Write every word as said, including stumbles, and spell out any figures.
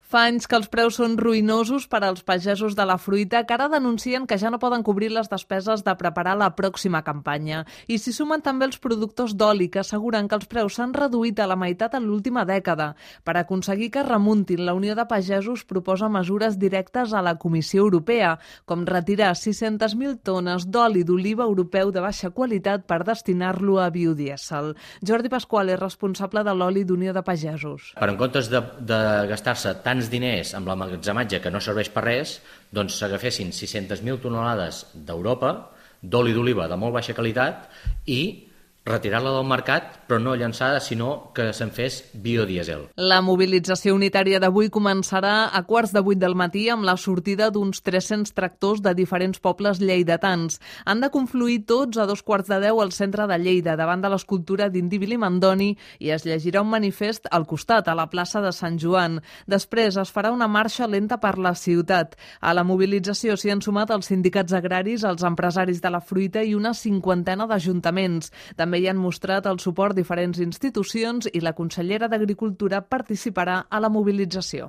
Fa anys que els preus són ruïnosos per als pagesos de la fruita, que ara denuncien que ja no poden cobrir les despeses de preparar la pròxima campanya. I s'hi sumen també els productors d'oli, que asseguren que els preus s'han reduït a la meitat en l'última dècada. Per aconseguir que remuntin, la Unió de Pagesos proposa mesures directes a la Comissió Europea, com retirar sis-centes mil tones d'oli d'oliva europeu de baixa qualitat per destinar-lo a biodièsel. Jordi Pasqual és responsable de l'oli d'Unió de Pagesos. Per en comptes de, de gastar-se tants diners amb l'emmagatzematge que no serveix per res, doncs s'agafessin sis-centes mil tonelades d'Europa d'oli d'oliva de molt baixa qualitat i retirar-la del mercat, però no llançada, sinó que se'n fes biodiesel. La mobilització unitària d'avui començarà a quarts de vuit del matí amb la sortida d'uns tres-cents tractors de diferents pobles lleidatans. Han de confluir tots a dos quarts de deu al centre de Lleida, davant de l'escultura d'Indíbil i Mandoni, i es llegirà un manifest al costat, a la plaça de Sant Joan. Després es farà una marxa lenta per la ciutat. A la mobilització s'hi han sumat els sindicats agraris, els empresaris de la fruita i una cinquantena d'ajuntaments. També hi han mostrat el suport diferents institucions i la consellera d'Agricultura participarà a la mobilització.